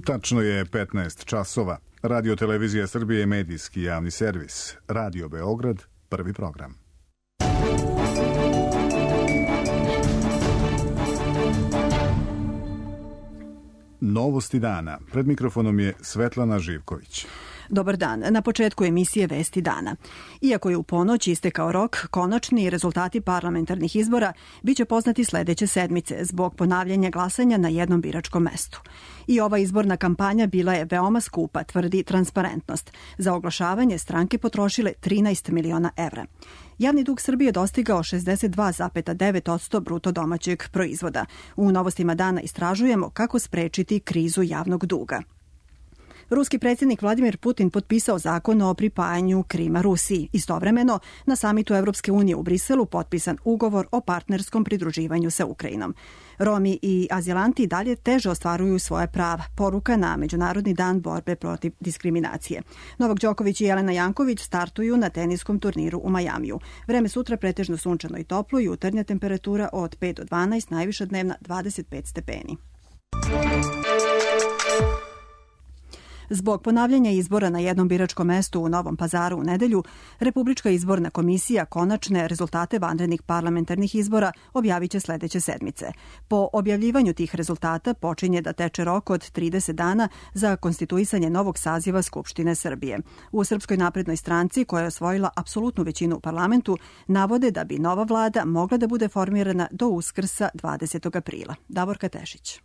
Tačno je 15 časova. Radio Televizija Srbije je medijski javni servis. Radio Beograd, prvi program. Novosti dana. Pred mikrofonom je Svetlana Živković. Dobar dan. Na početku emisije Vesti dana. Iako je u ponoć istekao rok, konačni rezultati parlamentarnih izbora biće poznati sledeće sedmice zbog ponavljanja glasanja na jednom biračkom mestu. I ova izborna kampanja bila je veoma skupa, tvrdi Transparentnost. Za oglašavanje stranke potrošile 13 miliona evra. Javni dug Srbije dostigao 62,9% bruto domaćeg proizvoda. U novostima dana istražujemo kako sprečiti krizu javnog duga. Ruski predsjednik Vladimir Putin potpisao zakon o pripajanju Krima Rusiji. Istovremeno, na samitu Evropske unije u Briselu potpisan ugovor o partnerskom pridruživanju sa Ukrajinom. Romi i azilanti dalje teže ostvaruju svoje prava. Poruka na Međunarodni dan borbe protiv diskriminacije. Novak Đoković i Jelena Janković startuju na teniskom turniru u Majamiju. Vreme sutra pretežno sunčano i toplo, jutarnja temperatura od 5 do 12, najviša dnevna 25 stepeni. Zbog ponavljanja izbora na jednom biračkom mestu u Novom Pazaru u nedelju, Republička izborna komisija konačne rezultate vanrednih parlamentarnih izbora objavit će sledeće sedmice. Po objavljivanju tih rezultata počinje da teče rok od 30 dana za konstituisanje novog saziva Skupštine Srbije. U Srpskoj naprednoj stranci, koja je osvojila apsolutnu većinu u parlamentu, navode da bi nova vlada mogla da bude formirana do Uskrsa 20. aprila. Davorka Tešić.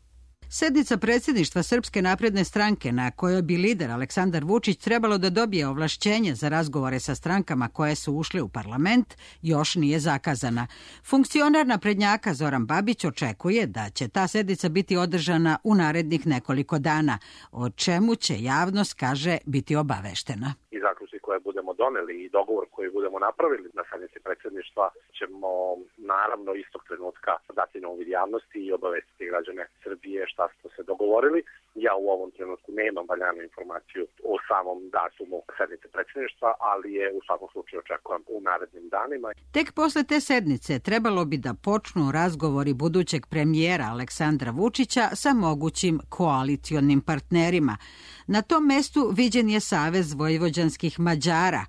Sednica predsjedništva Srpske napredne stranke na kojoj bi lider Aleksandar Vučić trebalo da dobije ovlašćenje za razgovore sa strankama koje su ušle u parlament još nije zakazana. Funkcioner naprednjaka Zoran Babić očekuje da će ta sednica biti održana u narednih nekoliko dana, o čemu će javnost, kaže, biti obaveštena. I zaključci koje budemo doneli i dogovor koji budemo napravili na sednici predsjedništva ćemo naravno istog trenutka dati na uvid javnosti i obavestiti građane Srbije šta smo se dogovorili. Ja u ovom trenutku nemam valjanu informaciju o samom datumu sednice predsjedništva, ali je u svakom slučaju očekujem u narednim danima. Tek posle te sednice trebalo bi da počnu razgovori budućeg premijera Aleksandra Vučića sa mogućim koalicionim partnerima. Na tom mestu viđen je Savez vojvođanskih Mađara,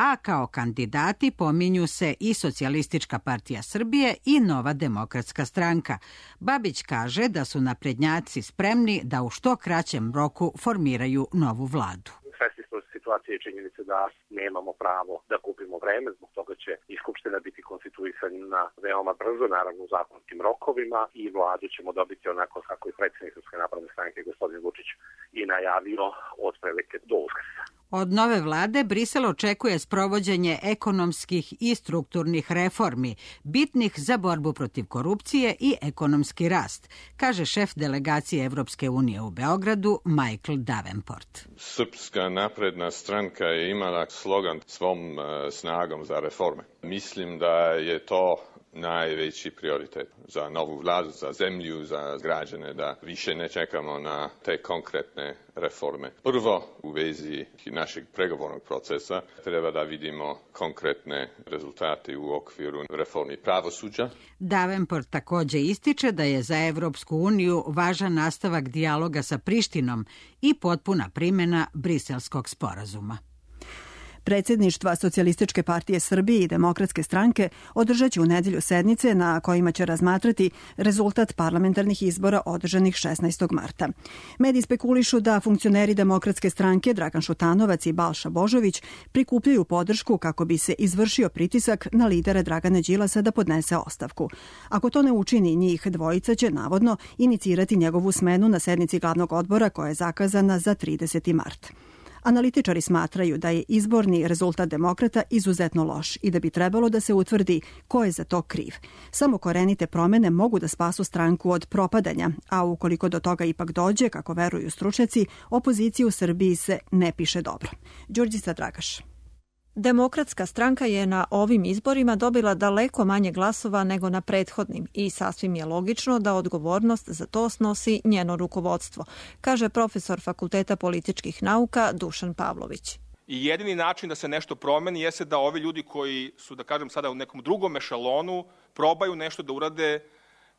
a kao kandidati pominju se i Socijalistička partija Srbije i Nova demokratska stranka. Babić kaže da su naprednjaci spremni da u što kraćem roku formiraju novu vladu. Svesni smo situacije i činjenice da nemamo pravo da kupimo vreme, zbog toga će i Skupština biti konstituisana veoma brzo, naravno u zakonskim rokovima, i vladu ćemo dobiti onako kako i predsjednik Srpske napredne stranke gospodin Vučić i najavio otprilike do Uskrsa. Od nove vlade Brisel očekuje sprovođenje ekonomskih i strukturnih reformi, bitnih za borbu protiv korupcije i ekonomski rast, kaže šef delegacije Evropske unije u Beogradu Michael Davenport. Srpska napredna stranka je imala slogan svom snagom za reforme. Mislim da je to najveći prioritet za novu vladu, za zemlju, za građane, da više ne čekamo na te konkretne reforme. Prvo, u vezi našeg pregovornog procesa treba da vidimo konkretne rezultate u okviru reformi pravosuđa. Davenport također ističe da je za Evropsku uniju važan nastavak dijaloga sa Prištinom i potpuna primjena Briselskog sporazuma. Predsjedništva Socijalističke partije Srbije i Demokratske stranke održat će u nedelju sednice na kojima će razmatrati rezultat parlamentarnih izbora održanih 16. marta. Mediji spekulišu da funkcioneri Demokratske stranke Dragan Šutanovac i Balša Božović prikupljaju podršku kako bi se izvršio pritisak na lidera Dragana Đilasa da podnese ostavku. Ako to ne učini, njih dvojica će navodno inicirati njegovu smenu na sednici glavnog odbora koja je zakazana za 30. mart. Analitičari smatraju da je izborni rezultat demokrata izuzetno loš i da bi trebalo da se utvrdi ko je za to kriv. Samo korenite promene mogu da spasu stranku od propadanja, a ukoliko do toga ipak dođe, kako veruju stručnjaci, opozicija u Srbiji se ne piše dobro. Đurđica Dragaš. Demokratska stranka je na ovim izborima dobila daleko manje glasova nego na prethodnim i sasvim je logično da odgovornost za to snosi njeno rukovodstvo, kaže profesor Fakulteta političkih nauka Dušan Pavlović. I jedini način da se nešto promeni jeste da ovi ljudi koji su, da kažem sada, u nekom drugom ešalonu probaju nešto da urade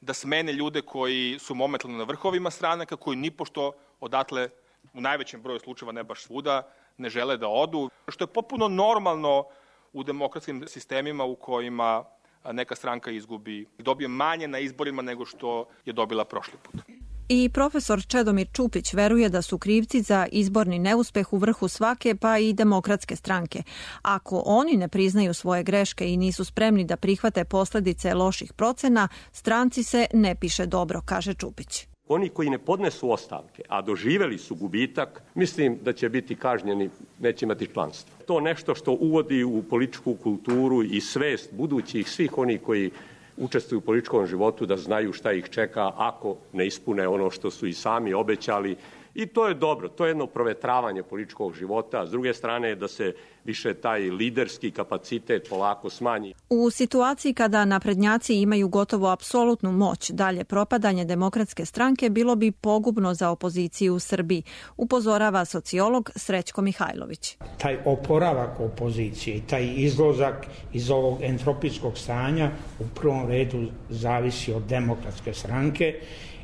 da smene ljude koji su momentalno na vrhovima stranaka, koji nipošto odatle u najvećem broju slučajeva, ne baš svuda, ne žele da odu, što je potpuno normalno u demokratskim sistemima u kojima neka stranka izgubi i dobije manje na izborima nego što je dobila prošli put. I profesor Čedomir Čupić veruje da su krivci za izborni neuspeh u vrhu svake pa i demokratske stranke. Ako oni ne priznaju svoje greške i nisu spremni da prihvate posledice loših procena, stranci se ne piše dobro, kaže Čupić. Oni koji ne podnesu ostavke, a doživeli su gubitak, mislim da će biti kažnjeni, neće imati članstvo. To nešto što uvodi u političku kulturu i svest budućih svih onih koji učestvuju u političkom životu da znaju šta ih čeka ako ne ispune ono što su i sami obećali. I to je dobro, to je jedno provetravanje političkog života. S druge strane da se više taj liderski kapacitet polako smanji. U situaciji kada naprednjaci imaju gotovo apsolutnu moć, dalje propadanje demokratske stranke bilo bi pogubno za opoziciju u Srbiji, upozorava sociolog Srećko Mihajlović. Taj oporavak opozicije, taj izlazak iz ovog entropijskog stanja u prvom redu zavisi od demokratske stranke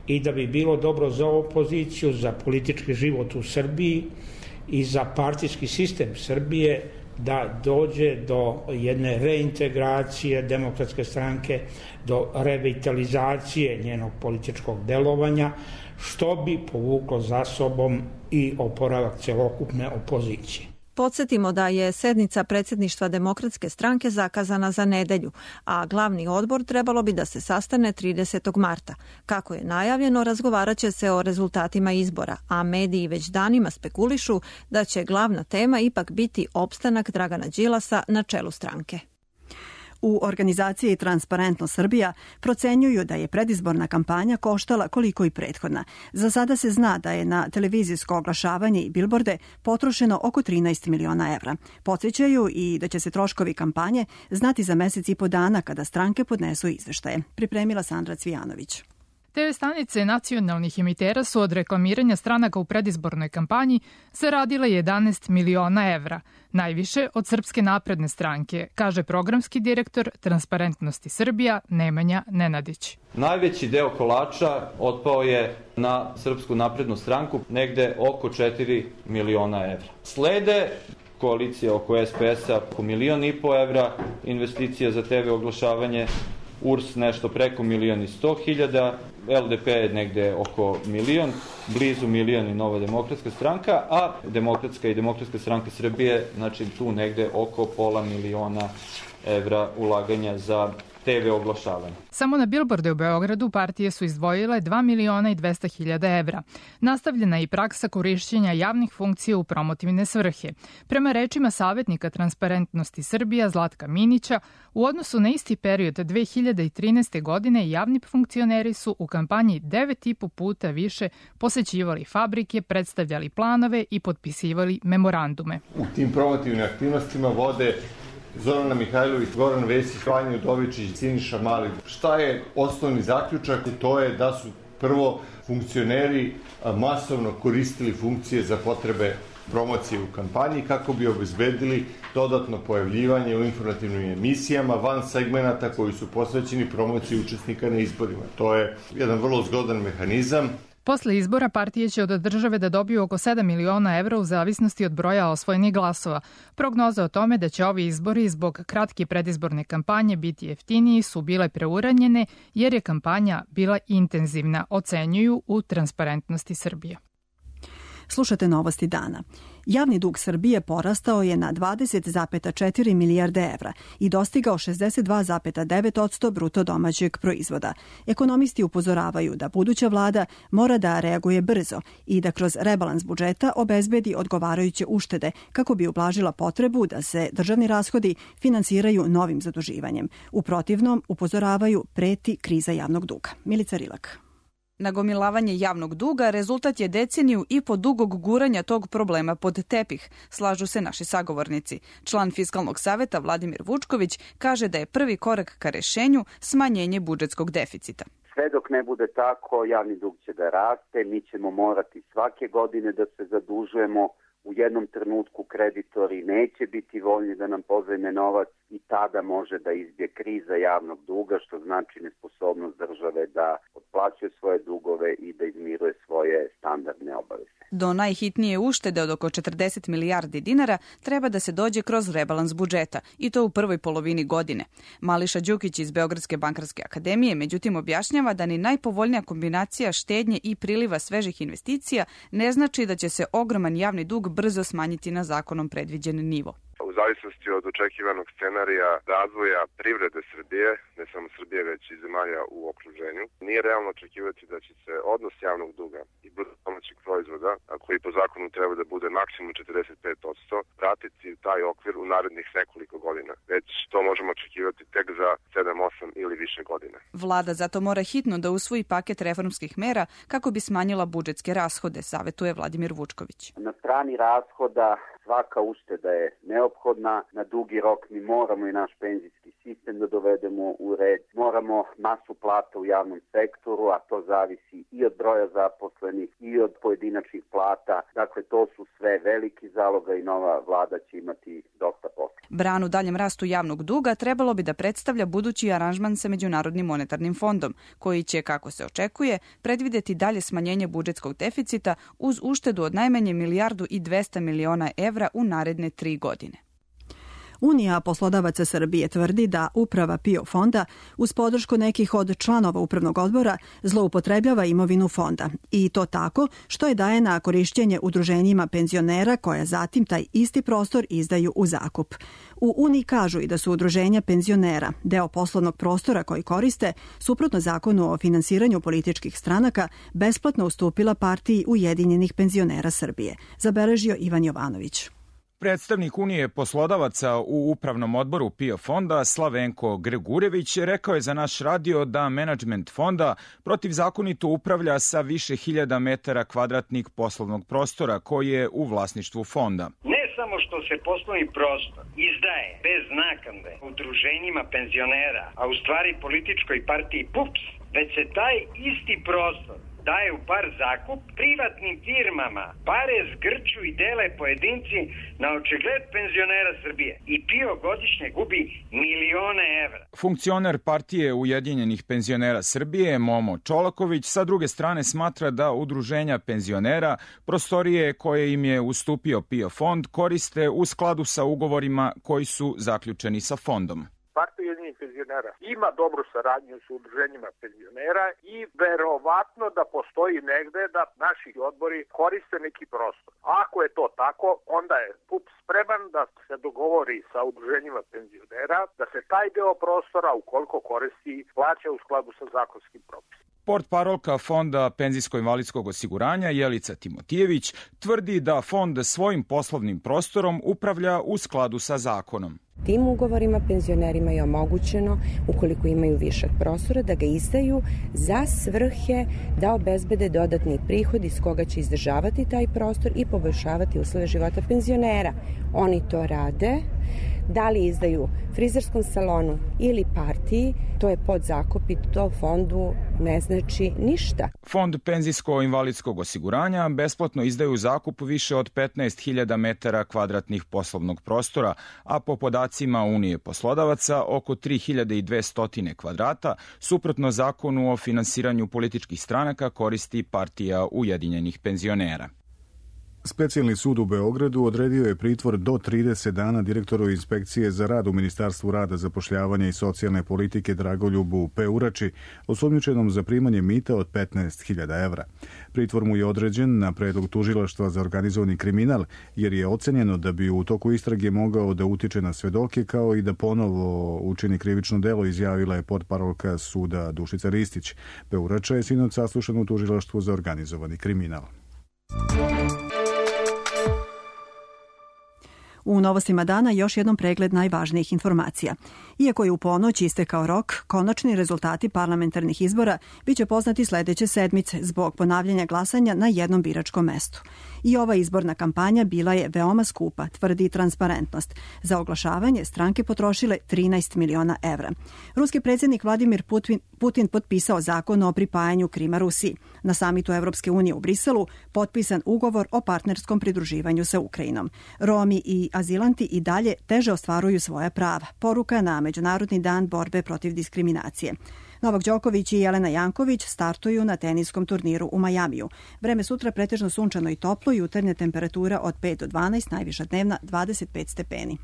i da bi bilo dobro za opoziciju, za politički život u Srbiji i za partijski sistem Srbije da dođe do jedne reintegracije demokratske stranke, do revitalizacije njenog političkog delovanja, što bi povuklo za sobom i oporavak celokupne opozicije. Podsjetimo da je sednica predsjedništva Demokratske stranke zakazana za nedelju, a glavni odbor trebalo bi da se sastane 30. marta. Kako je najavljeno, razgovarat će se o rezultatima izbora, a mediji već danima spekulišu da će glavna tema ipak biti opstanak Dragana Đilasa na čelu stranke. U organizaciji Transparentno Srbija procenjuju da je predizborna kampanja koštala koliko i prethodna. Za sada se zna da je na televizijsko oglašavanje i bilborde potrošeno oko 13 miliona evra. Podsjećaju i da će se troškovi kampanje znati za mesec i po dana kada stranke podnesu izveštaje. Pripremila Sandra Cvijanović. TV stanice nacionalnih emitera su od reklamiranja stranaka u predizbornoj kampanji zaradile 11 miliona evra, najviše od Srpske napredne stranke, kaže programski direktor Transparentnosti Srbija Nemanja Nenadić. Najveći deo kolača otpao je na Srpsku naprednu stranku, negde oko 4 miliona evra. Slede koalicija oko SPS-a oko 1,5 miliona evra, investicija za TV oglašavanje, URS nešto preko 1.100.000, LDP je negde oko 1 milion, blizu 1 milion i Nova demokratska stranka, a Demokratska i Demokratska stranka Srbije, znači tu negde oko £500 miliona evra ulaganja za TV oglašavanje. Samo na bilborde u Beogradu partije su izdvojile 2.200.000 evra. Nastavljena je i praksa korišćenja javnih funkcija u promotivne svrhe. Prema rečima savjetnika Transparentnosti Srbija Zlatka Minića, u odnosu na isti period 2013. godine javni funkcioneri su u kampanji 9,5 puta više posećivali fabrike, predstavljali planove i potpisivali memorandume. U tim promotivnim aktivnostima vode Zorana Mihajlović, Goran Vesić, Vanja Udovičić, Siniša Mali. Šta je osnovni zaključak? To je da su prvo funkcioneri masovno koristili funkcije za potrebe promocije u kampanji kako bi obezbedili dodatno pojavljivanje u informativnim emisijama van segmenata koji su posvećeni promociji učesnika na izborima. To je jedan vrlo zgodan mehanizam. Posle izbora partije će od države da dobiju oko 7 miliona evra u zavisnosti od broja osvojenih glasova. Prognoze o tome da će ovi izbori zbog kratke predizborne kampanje biti jeftiniji su bile preuranjene jer je kampanja bila intenzivna, ocenjuju u Transparentnosti Srbije. Slušate novosti dana. Javni dug Srbije porastao je na 20,4 milijarde evra i dostigao 62,9% bruto domaćeg proizvoda. Ekonomisti upozoravaju da buduća vlada mora da reaguje brzo i da kroz rebalans budžeta obezbedi odgovarajuće uštede kako bi ublažila potrebu da se državni rashodi finansiraju novim zaduživanjem. U protivnom, upozoravaju, preti kriza javnog duga. Milica Rilak. Nagomilavanje javnog duga rezultat je deceniju i po dugog guranja tog problema pod tepih, slažu se naši sagovornici. Član Fiskalnog saveta Vladimir Vučković kaže da je prvi korak ka rešenju smanjenje budžetskog deficita. Sve dok ne bude tako, javni dug će da raste, mi ćemo morati svake godine da se zadužujemo u jednom trenutku kreditori neće biti voljni da nam pozajme novac i tada može da izbije kriza javnog duga, što znači nesposobnost države da otplaćuje svoje dugove i da izmiruje svoje standardne obaveze. Do najhitnije uštede od oko 40 milijardi dinara treba da se dođe kroz rebalans budžeta i to u prvoj polovini godine. Mališa Đukić iz Beogradske bankarske akademije međutim objašnjava da ni najpovoljnija kombinacija štednje i priliva svežih investicija ne znači da će se ogroman javni dug brzo smanjiti na zakonom predviđen nivo. U zavisnosti od očekivanog scenarija razvoja privrede Srbije, ne samo Srbije već i zemalja u okruženju, nije realno očekivati da će se odnos javnog duga i bruto domaćeg proizvoda, a koji po zakonu treba da bude maksimum 45%, vratiti u taj okvir u narednih nekoliko godina. Već to možemo očekivati tek za 7, 8 ili više godina. Vlada zato mora hitno da usvoji paket reformskih mera kako bi smanjila budžetske rashode, savetuje Vladimir Vučković. Na strani rashoda svaka ušteda je neophodna, na dugi rok mi moramo i naš penzijski sistem da dovedemo u red, moramo masu plata u javnom sektoru, a to zavisi i od broja zaposlenih i od pojedinačnih plata, dakle to su sve veliki zaloga i nova vlada će imati dosta posla. Branu daljem rastu javnog duga trebalo bi da predstavlja budući aranžman sa Međunarodnim monetarnim fondom, koji će, kako se očekuje, predvideti dalje smanjenje budžetskog deficita uz uštedu od najmanje 1,2 milijarde evra u naredne 3 godine. Unija poslodavaca Srbije tvrdi da uprava PIO fonda uz podršku nekih od članova upravnog odbora zloupotrebljava imovinu fonda i to tako što je daje na korišćenje udruženjima penzionera koja zatim taj isti prostor izdaju u zakup. U Uniji kažu i da su udruženja penzionera deo poslovnog prostora koji koriste, suprotno zakonu o finansiranju političkih stranaka, besplatno ustupila partiji Ujedinjenih penzionera Srbije, zabeležio Ivan Jovanović. Predstavnik Unije poslodavaca u upravnom odboru PIO fonda Slavenko Gregurević rekao je za naš radio da menadžment fonda protivzakonito upravlja sa više hiljada metara kvadratnih poslovnog prostora koji je u vlasništvu fonda. Ne samo što se poslovni prostor izdaje bez naknade udruženjima penzionera, a u stvari političkoj partiji PUPS, već se taj isti prostor daje u par zakup privatnim firmama. Pare zgrču i dele pojedinci na očigled penzionera Srbije. I PIO godišnje gubi milione evra. Funkcioner partije Ujedinjenih penzionera Srbije, Momo Čolaković, sa druge strane smatra da udruženja penzionera prostorije koje im je ustupio PIO fond koriste u skladu sa ugovorima koji su zaključeni sa fondom. Partija Ujedinjenih penzionera ima dobru saradnju sa udruženjima penzionera i verovatno da postoji negde da naši odbori koriste neki prostor. Ako je to tako, onda je PUP spreman da se dogovori sa udruženjima penzionera da se taj deo prostora, ukoliko koristi, plaća u skladu sa zakonskim propisima. Portparolka Fonda penzijsko-invalidskog osiguranja Jelica Timotijević tvrdi da fond svojim poslovnim prostorom upravlja u skladu sa zakonom. Tim ugovorima penzionerima je omogućeno, ukoliko imaju višak prostora, da ga izdaju za svrhe da obezbede dodatni prihod iz koga će izdržavati taj prostor i poboljšavati uslove života penzionera. Oni to rade. Da li izdaju frizerskom salonu ili partiji, to je podzakup i to fondu ne znači ništa. Fond penzijsko-invalidskog osiguranja besplatno izdaju zakup više od 15.000 metara kvadratnih poslovnog prostora, a po podacima Unije poslodavaca oko 3.200 kvadrata, suprotno zakonu o finansiranju političkih stranaka koristi partija Ujedinjenih penzionera. Specijalni sud u Beogradu odredio je pritvor do 30 dana direktoru inspekcije za rad u Ministarstvu rada, zapošljavanja i socijalne politike Dragoljubu Peurači, osumnjičenom za primanje mita od 15.000 evra. Pritvor mu je određen na predlog tužilaštva za organizovani kriminal, jer je ocenjeno da bi u toku istrage mogao da utiče na svedoke, kao i da ponovo učini krivično delo, izjavila je portparolka suda Dušica Ristić. Peurača je sinoć saslušan u tužilaštvu za organizovani kriminal. U novostima dana još jednom pregled najvažnijih informacija. Iako je u ponoć istekao rok, konačni rezultati parlamentarnih izbora biće poznati sledeće sedmice zbog ponavljanja glasanja na jednom biračkom mestu. I ova izborna kampanja bila je veoma skupa, tvrdi Transparentnost. Za oglašavanje stranke potrošile 13 miliona evra. Ruski predsjednik Vladimir Putin potpisao zakon o pripajanju Krima Rusiji. Na samitu Evropske unije u Briselu potpisan ugovor o partnerskom pridruživanju sa Ukrajinom. Romi i azilanti i dalje teže ostvaruju svoja prava. Poruka na Međunarodni dan borbe protiv diskriminacije. Novak Đoković i Jelena Janković startuju na teniskom turniru u Majamiju. Vreme sutra pretežno sunčano i toplo, jutarnja temperatura od 5 do 12, najviša dnevna 25 stepeni.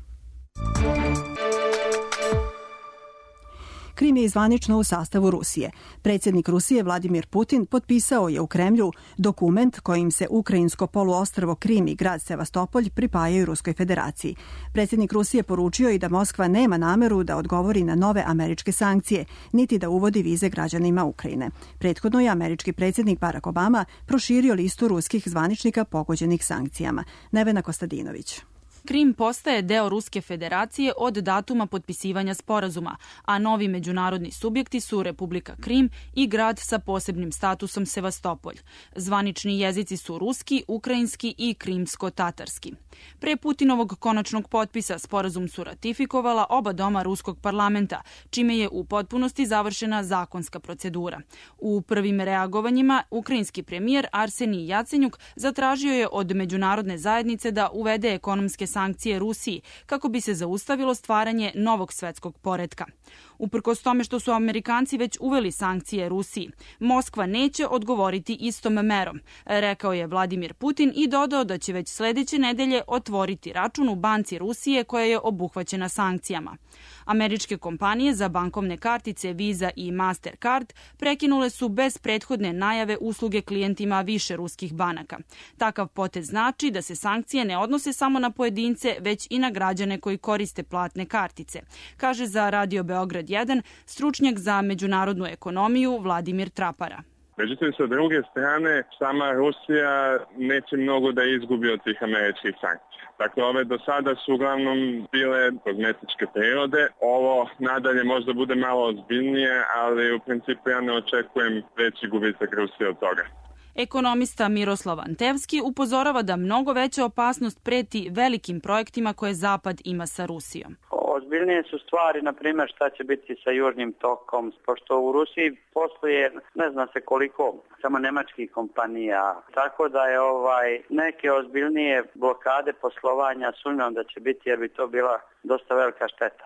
Krim je zvanično u sastavu Rusije. Predsjednik Rusije Vladimir Putin potpisao je u Kremlju dokument kojim se ukrajinsko poluostrvo Krim i grad Sevastopolj pripajaju Ruskoj federaciji. Predsjednik Rusije poručio i da Moskva nema nameru da odgovori na nove američke sankcije, niti da uvodi vize građanima Ukrajine. Prethodno je američki predsjednik Barack Obama proširio listu ruskih zvaničnika pogođenih sankcijama. Nevena Kostadinović. Krim postaje deo Ruske federacije od datuma potpisivanja sporazuma, a novi međunarodni subjekti su Republika Krim i grad sa posebnim statusom Sevastopolj. Zvanični jezici su ruski, ukrajinski i krimsko-tatarski. Pre Putinovog konačnog potpisa sporazum su ratifikovala oba doma ruskog parlamenta, čime je u potpunosti završena zakonska procedura. U prvim reagovanjima ukrajinski premijer Arsenij Jacenjuk zatražio je od međunarodne zajednice da uvede ekonomske sankcije Rusiji kako bi se zaustavilo stvaranje novog svetskog poretka. Uprkos tome što su Amerikanci već uveli sankcije Rusiji, Moskva neće odgovoriti istom merom, rekao je Vladimir Putin i dodao da će već sledeće nedelje otvoriti račun u banci Rusije koja je obuhvaćena sankcijama. Američke kompanije za bankovne kartice Visa i Mastercard prekinule su bez prethodne najave usluge klijentima više ruskih banaka. Takav potez znači da se sankcije ne odnose samo na pojedince, već i na građane koji koriste platne kartice, kaže za Radio Beograd 1 stručnjak za međunarodnu ekonomiju Vladimir Trapara. Međutim, sa druge strane, sama Rusija neće mnogo da izgubi od tih američkih sankcija. Dakle, ove do sada su uglavnom bile kozmetičke prirode. Ovo nadalje možda bude malo ozbiljnije, ali u principu ja ne očekujem veći gubitak Rusije od toga. Ekonomista Miroslav Antevski upozorava da mnogo veća opasnost preti velikim projektima koje Zapad ima sa Rusijom. Ozbiljnije su stvari, na primjer, šta će biti sa Južnim tokom, pošto u Rusiji posluje ne zna se koliko samo nemačkih kompanija, tako da je neke ozbiljnije blokade poslovanja sumnjam da će biti, jer bi to bila dosta velika šteta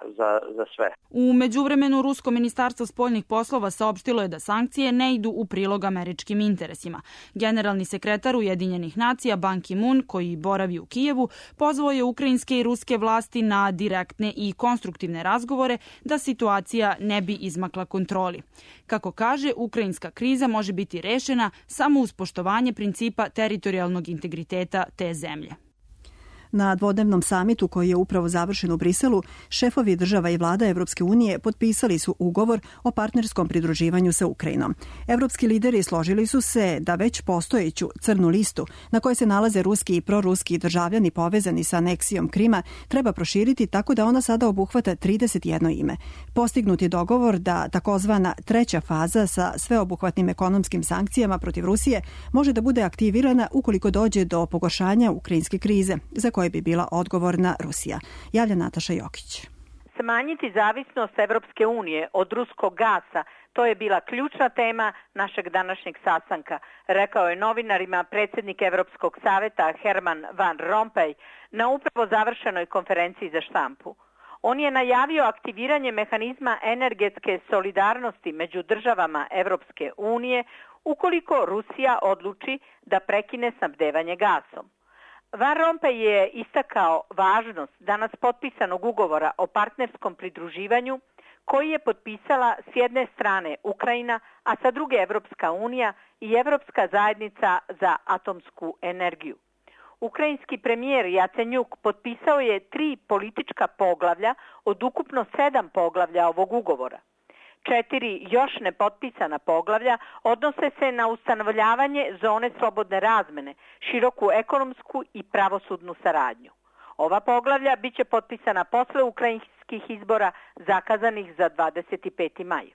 za sve. U međuvremenu Rusko ministarstvo spoljnih poslova saopštilo je da sankcije ne idu u prilog američkim interesima. Generalni sekretar Ujedinjenih nacija Ban Ki-moon, koji boravi u Kijevu, pozvao je ukrajinske i ruske vlasti na direktne i konstruktivne razgovore da situacija ne bi izmakla kontroli. Kako kaže, ukrajinska kriza može biti rešena samo uz poštovanje principa teritorijalnog integriteta te zemlje. Na dvodnevnom samitu koji je upravo završen u Briselu, šefovi država i vlada Evropske unije potpisali su ugovor o partnerskom pridruživanju sa Ukrajinom. Evropski lideri složili su se da već postojeću crnu listu na kojoj se nalaze ruski i proruski državljani povezani sa aneksijom Krima treba proširiti tako da ona sada obuhvata 31 ime. Postignut je dogovor da takozvana treća faza sa sveobuhvatnim ekonomskim sankcijama protiv Rusije može da bude aktivirana ukoliko dođe do pogoršanja ukrajinske krize, za koje bi bila odgovorna Rusija. Javlja Nataša Jokić. Smanjiti zavisnost Evropske unije od ruskog gasa, to je bila ključna tema našeg današnjeg sastanka, rekao je novinarima predsjednik Evropskog saveta Herman Van Rompuy na upravo završenoj konferenciji za štampu. On je najavio aktiviranje mehanizma energetske solidarnosti među državama Evropske unije ukoliko Rusija odluči da prekine snabdevanje gasom. Van Rompuy je istakao važnost danas potpisanog ugovora o partnerskom pridruživanju koji je potpisala s jedne strane Ukrajina, a sa druge Evropska unija i Evropska zajednica za atomsku energiju. Ukrajinski premijer Jacenjuk potpisao je 3 politička poglavlja od ukupno 7 poglavlja ovog ugovora. 4 još nepotpisana poglavlja odnose se na ustanovljavanje zone slobodne razmene, široku ekonomsku i pravosudnu saradnju. Ova poglavlja biće potpisana posle ukrajinskih izbora zakazanih za 25. maj.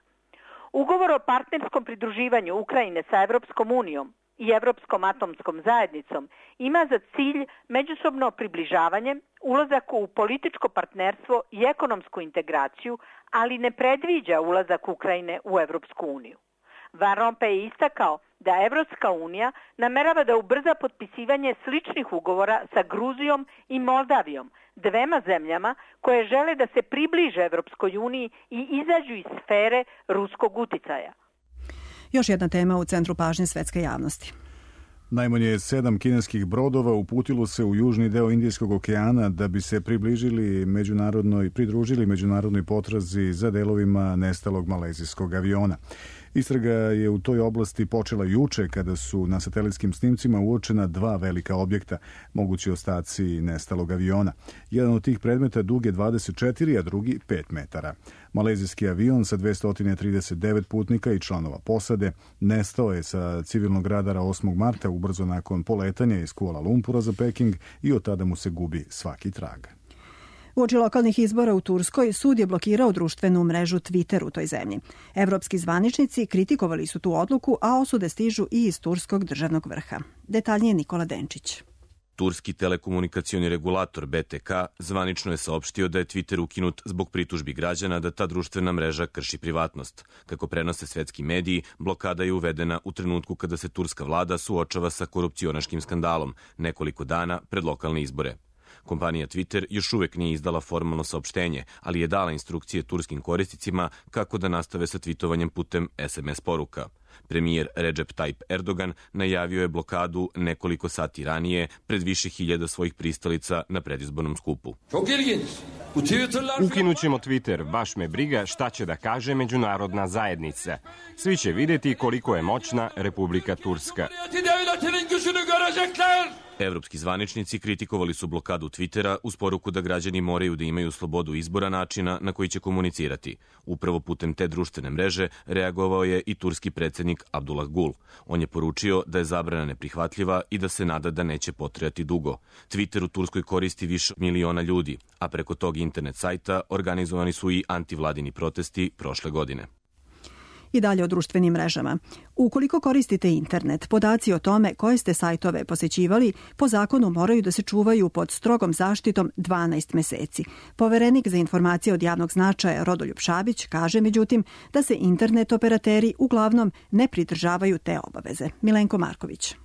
Ugovor o partnerskom pridruživanju Ukrajine sa Evropskom unijom i Evropskom atomskom zajednicom ima za cilj međusobno približavanje, ulazak u političko partnerstvo i ekonomsku integraciju, ali ne predviđa ulazak Ukrajine u Evropsku uniju. Van Rompuy je istakao da Evropska unija namerava da ubrza potpisivanje sličnih ugovora sa Gruzijom i Moldavijom, dvema zemljama koje žele da se približe Evropskoj uniji i izađu iz sfere ruskog uticaja. Još jedna tema u centru pažnje svetske javnosti. Najmanje 7 kineskih brodova uputilo se u južni deo Indijskog okeana da bi se pridružili međunarodnoj potrazi za delovima nestalog malezijskog aviona. Istraga je u toj oblasti počela juče kada su na satelitskim snimcima uočena 2 velika objekta, mogući ostaci nestalog aviona. Jedan od tih predmeta dug je 24, a drugi 5 metara. Malezijski avion sa 239 putnika i članova posade nestao je sa civilnog radara 8. marta ubrzo nakon poletanja iz Kuala Lumpura za Peking i od tada mu se gubi svaki trag. Uoči lokalnih izbora u Turskoj sud je blokirao društvenu mrežu Twitter u toj zemlji. Evropski zvaničnici kritikovali su tu odluku, a osude stižu i iz turskog državnog vrha. Detaljnije Nikola Denčić. Turski telekomunikacioni regulator BTK zvanično je saopštio da je Twitter ukinut zbog pritužbi građana da ta društvena mreža krši privatnost. Kako prenose svetski mediji, blokada je uvedena u trenutku kada se turska vlada suočava sa korupcionaškim skandalom, nekoliko dana pred lokalne izbore. Kompanija Twitter još uvek nije izdala formalno saopštenje, ali je dala instrukcije turskim korisnicima kako da nastave sa tvitovanjem putem SMS poruka. Premijer Recep Tayyip Erdogan najavio je blokadu nekoliko sati ranije pred više hiljada svojih pristalica na predizbornom skupu. Ukinućemo Twitter, baš me briga šta će da kaže međunarodna zajednica. Svi će vidjeti koliko je moćna Republika Turska. Evropski zvaničnici kritikovali su blokadu Twittera uz poruku da građani moraju da imaju slobodu izbora načina na koji će komunicirati. Upravo putem te društvene mreže reagovao je i turski predsjednik Abdullah Gül. On je poručio da je zabrana neprihvatljiva i da se nada da neće potrajati dugo. Twitter u Turskoj koristi više miliona ljudi, a preko tog internet sajta organizovani su i antivladini protesti prošle godine. I dalje o društvenim mrežama. Ukoliko koristite internet, podaci o tome koje ste sajtove posećivali po zakonu moraju da se čuvaju pod strogom zaštitom 12 meseci. Poverenik za informacije od javnog značaja Rodoljub Šabić kaže međutim da se internet operateri uglavnom ne pridržavaju te obaveze. Milenko Marković.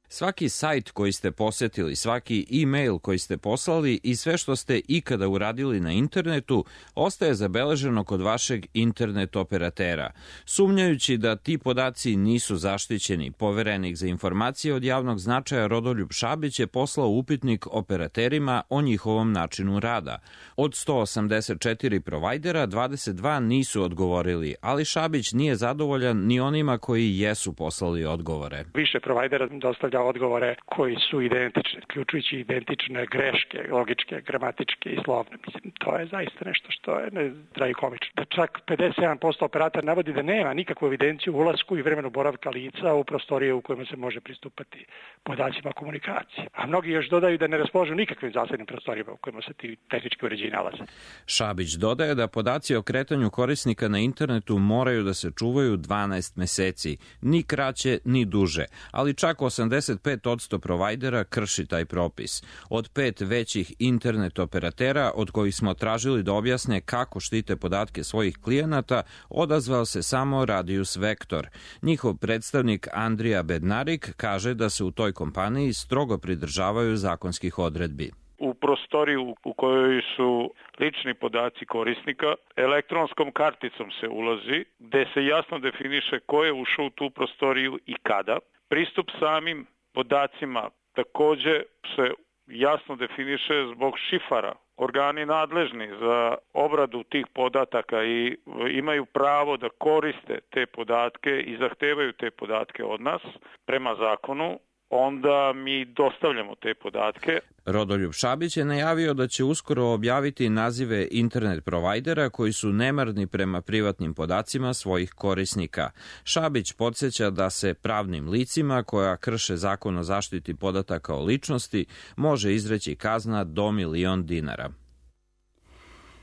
Svaki sajt koji ste posetili, svaki e-mail koji ste poslali i sve što ste ikada uradili na internetu ostaje zabeleženo kod vašeg internet operatera. Sumnjajući da ti podaci nisu zaštićeni, Poverenik za informacije od javnog značaja Rodoljub Šabić je poslao upitnik operaterima o njihovom načinu rada. Od 184 provajdera, 22 nisu odgovorili, ali Šabić nije zadovoljan ni onima koji jesu poslali odgovore. Više provajdera dostavlja odgovore koji su identični, uključujući identične greške, logičke, gramatičke i slovne. Mislim, to je zaista nešto što je tragikomično. Da čak 57% operatora navodi da nema nikakvu evidenciju o ulasku i vremenu boravka lica u prostorije u kojima se može pristupati podacima komunikacije. A mnogi još dodaju da ne raspolažu nikakvim zasebnim prostorijama u kojima se ti tehnički uređaji nalaze. Šabić dodaje da podaci o kretanju korisnika na internetu moraju da se čuvaju 12 meseci, ni kraće ni duže, ali čak 85% provajdera krši taj propis. Od 5 većih internet operatera, od kojih smo tražili da objasne kako štite podatke svojih klijenata, odazvao se samo Radius Vektor. Njihov predstavnik Andrija Bednarik kaže da se u toj kompaniji strogo pridržavaju zakonskih odredbi. U prostoriju u kojoj su lični podaci korisnika, elektronskom karticom se ulazi, gde se jasno definiše ko je ušao u tu prostoriju i kada. Pristup samim podacima takođe se jasno definiše zbog šifara. Organi nadležni za obradu tih podataka i imaju pravo da koriste te podatke i zahtevaju te podatke od nas prema zakonu. Onda mi dostavljamo te podatke. Rodoljub Šabić je najavio da će uskoro objaviti nazive internet provajdera koji su nemarni prema privatnim podacima svojih korisnika. Šabić podsjeća da se pravnim licima koja krše zakon o zaštiti podataka o ličnosti može izreći kazna do $1.000.000 dinara.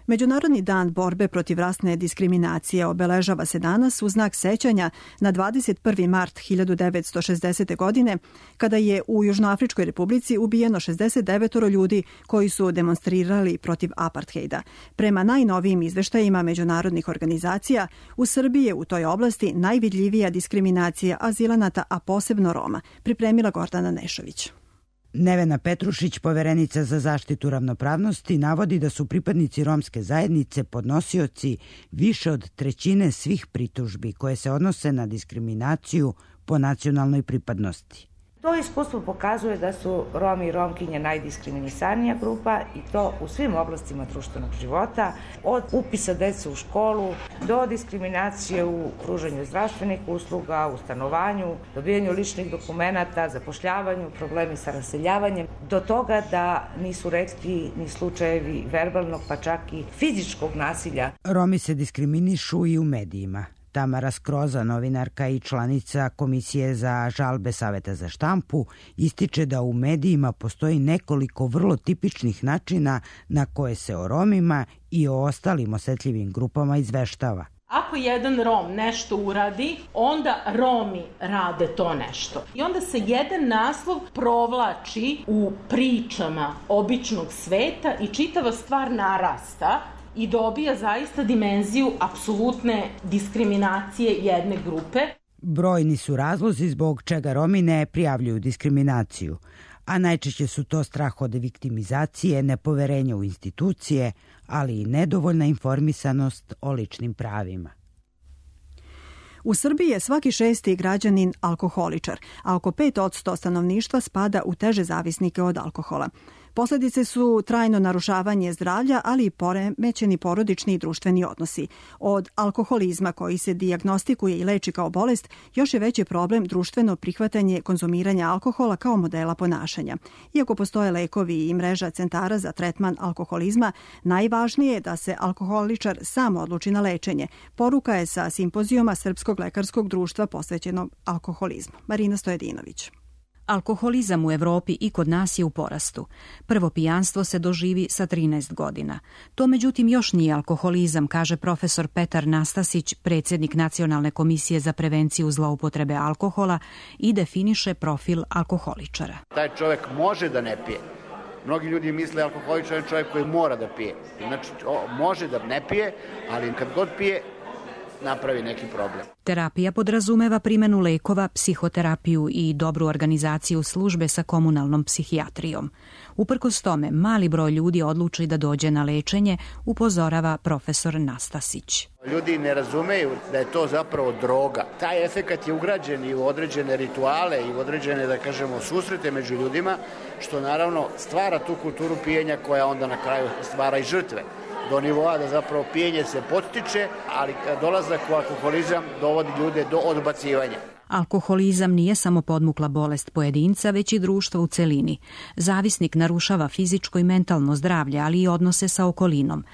Međunarodni dan borbe protiv rasne diskriminacije obeležava se danas u znak sećanja na 21. mart 1960. godine, kada je u Južnoafričkoj republici ubijeno 69 ljudi koji su demonstrirali protiv apartheida. Prema najnovijim izveštajima međunarodnih organizacija, u Srbiji je u toj oblasti najvidljivija diskriminacija azilanata, a posebno Roma, pripremila Gordana Nešović. Nevena Petrušić, poverenica za zaštitu ravnopravnosti, navodi da su pripadnici romske zajednice podnosioci više od trećine svih pritužbi koje se odnose na diskriminaciju po nacionalnoj pripadnosti. To iskustvo pokazuje da su Romi i Romkinje najdiskriminisanija grupa i to u svim oblastima društvenog života, od upisa dece u školu do diskriminacije u pružanju zdravstvenih usluga, u stanovanju, dobijanju ličnih dokumenata, zapošljavanju, problemi sa raseljavanjem, do toga da nisu retki ni slučajevi verbalnog pa čak i fizičkog nasilja. Romi se diskriminišu i u medijima. Tamara Skroza, novinarka i članica Komisije za žalbe Saveta za štampu, ističe da u medijima postoji nekoliko vrlo tipičnih načina na koje se o Romima i o ostalim osetljivim grupama izveštava. Ako jedan Rom nešto uradi, onda Romi rade to nešto. I onda se jedan naslov provlači u pričama običnog sveta i čitava stvar narasta i dobija zaista dimenziju apsolutne diskriminacije jedne grupe. Brojni su razlozi zbog čega Romi ne prijavljuju diskriminaciju, a najčešće su to strah od viktimizacije, nepoverenje u institucije, ali i nedovoljna informisanost o ličnim pravima. U Srbiji je svaki 6. građanin alkoholičar, a oko 5% stanovništva spada u teže zavisnike od alkohola. Posledice su trajno narušavanje zdravlja, ali i poremećeni porodični i društveni odnosi. Od alkoholizma koji se dijagnostikuje i leči kao bolest, još je veći problem društveno prihvatanje konzumiranja alkohola kao modela ponašanja. Iako postoje lekovi i mreža centara za tretman alkoholizma, najvažnije je da se alkoholičar sam odluči na lečenje. Poruka je sa simpozijuma Srpskog lekarskog društva posvećenog alkoholizmu. Marina Stojedinović. Alkoholizam u Evropi i kod nas je u porastu. Prvo pijanstvo se doživi sa 13 godina. To međutim još nije alkoholizam, kaže profesor Petar Nastasić, predsjednik Nacionalne komisije za prevenciju zloupotrebe alkohola i definiše profil alkoholičara. Taj čovjek može da ne pije. Mnogi ljudi misle alkoholičar je čovjek koji mora da pije. Znači, može da ne pije, ali kad god pije, napravi neki problem. Terapija podrazumeva primjenu lekova, psihoterapiju i dobru organizaciju službe sa komunalnom psihijatrijom. Uprkos tome, mali broj ljudi odluči da dođe na lečenje, upozorava profesor Nastasić. Ljudi ne razumeju da je to zapravo droga. Taj efekat je ugrađen i u određene rituale i u određene, da kažemo, susrete među ljudima, što naravno stvara tu kulturu pijenja koja onda na kraju stvara i žrtve. Do nivoa da zapravo pijenje se podstiče, ali dolazak u alkoholizam dovodi ljude do odbacivanja. Alkoholizam nije samo podmukla bolest pojedinca, već i društva u celini. Zavisnik narušava fizičko i mentalno zdravlje, ali i odnose sa okolinom.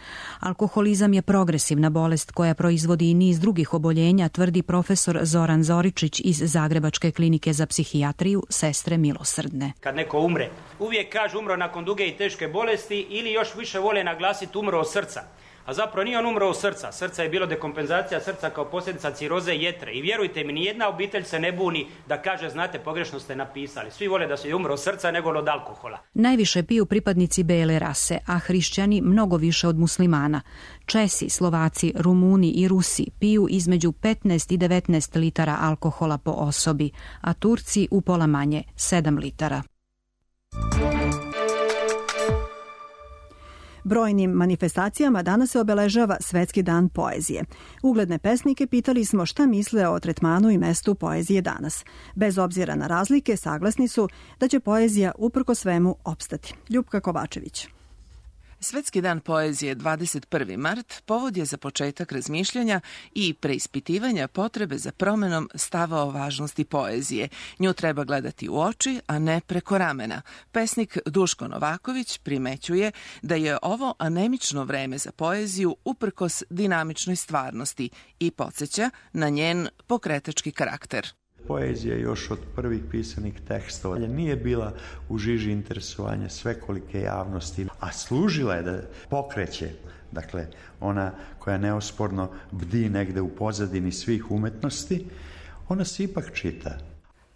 Alkoholizam je progresivna bolest koja proizvodi i niz drugih oboljenja, tvrdi profesor Zoran Zoričić iz Zagrebačke klinike za psihijatriju Sestre milosrdne. Kad neko umre, uvijek kažu umro nakon duge i teške bolesti ili još više vole naglasiti umro od srca. A zapravo nije on umro od srca. Srca je bilo dekompenzacija srca kao posljedica ciroze jetre. I vjerujte mi, nijedna obitelj se ne buni da kaže, znate, pogrešno ste napisali. Svi vole da se umro od srca nego od alkohola. Najviše piju pripadnici bele rase, a hrišćani mnogo više od muslimana. Česi, Slovaci, Rumuni i Rusi piju između 15 i 19 litara alkohola po osobi, a Turci upola manje, 7 litara. Brojnim manifestacijama danas se obeležava Svetski dan poezije. Ugledne pesnike pitali smo šta misle o tretmanu i mestu poezije danas. Bez obzira na razlike, saglasni su da će poezija uprko svemu opstati. Ljupka Kovačević. Svetski dan poezije 21. mart povod je za početak razmišljanja i preispitivanja potrebe za promenom stava o važnosti poezije. Nju treba gledati u oči, a ne preko ramena. Pesnik Duško Novaković primećuje da je ovo anemično vreme za poeziju uprkos dinamičnoj stvarnosti i podsjeća na njen pokretački karakter. Poezija još od prvih pisanih tekstova nije bila u žiži interesovanja svekolike javnosti, a služila je da pokreće, dakle ona koja neosporno bdi negde u pozadini svih umetnosti, ona se ipak čita.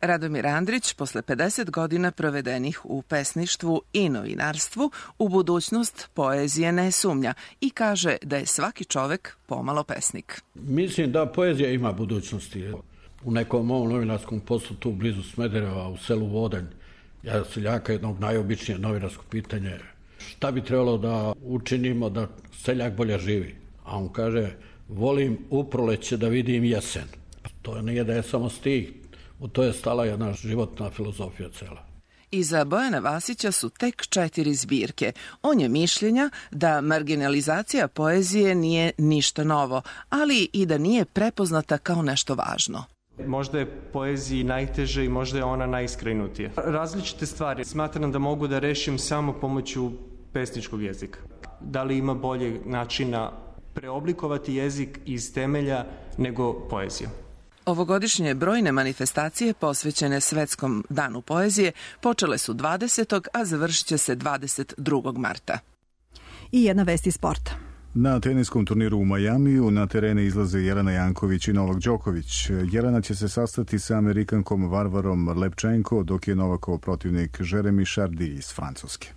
Radomir Andrić, posle 50 godina provedenih u pesništvu i novinarstvu, u budućnost poezije ne sumnja i kaže da je svaki čovek pomalo pesnik. Mislim da poezija ima budućnosti. U nekom mom novinarskom poslu tu blizu Smedereva, u selu Vodanj, ja seljaka jednog najobičnije novinarsko pitanje, šta bi trebalo da učinimo da seljak bolje živi? A on kaže, volim u proleće da vidim jesen. To nije da je samo stih, u to je stala jedna životna filozofija cela. Iza Bojana Vasića su tek 4 zbirke. On je mišljenja da marginalizacija poezije nije ništa novo, ali i da nije prepoznata kao nešto važno. Možda je poeziji najteže i možda je ona najiskrenutija. Različite stvari smatram da mogu da rešim samo pomoću pesničkog jezika. Da li ima bolje načina preoblikovati jezik iz temelja nego poezija? Ovogodišnje brojne manifestacije posvećene Svetskom danu poezije počele su 20. a završit će se 22. marta. I jedna vest iz sporta. Na teniskom turniru u Majamiju na terene izlaze Jelena Janković i Novak Đoković. Jelena će se sastati sa Amerikankom Varvarom Lepčenko, dok je Novakov protivnik Jeremy Chardy iz Francuske.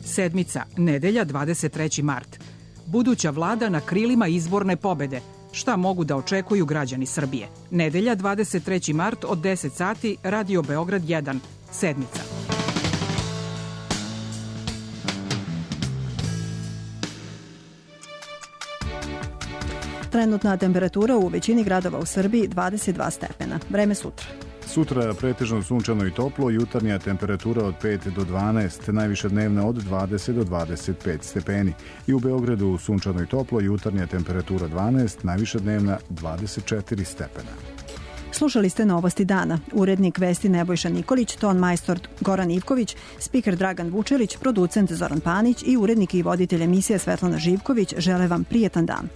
Sedmica, nedelja 23. mart. Buduća vlada na krilima izborne pobede. Šta mogu da očekuju građani Srbije? Nedelja 23. mart od 10 sati, Radio Beograd 1. Sedmica. Trenutna temperatura u većini gradova u Srbiji 22 stepena. Vreme sutra. Sutra pretežno sunčano i toplo, jutarnja temperatura od 5 do 12, najviša dnevna od 20 do 25 stepeni. I u Beogradu sunčano i toplo, jutarnja temperatura 12, najviša dnevna 24 stepena. Slušali ste Novosti dana. Urednik vesti Nebojša Nikolić, ton majstor Goran Ivković, spiker Dragan Vučelić, producent Zoran Panić i urednik i voditelj emisije Svetlana Živković žele vam prijetan dan.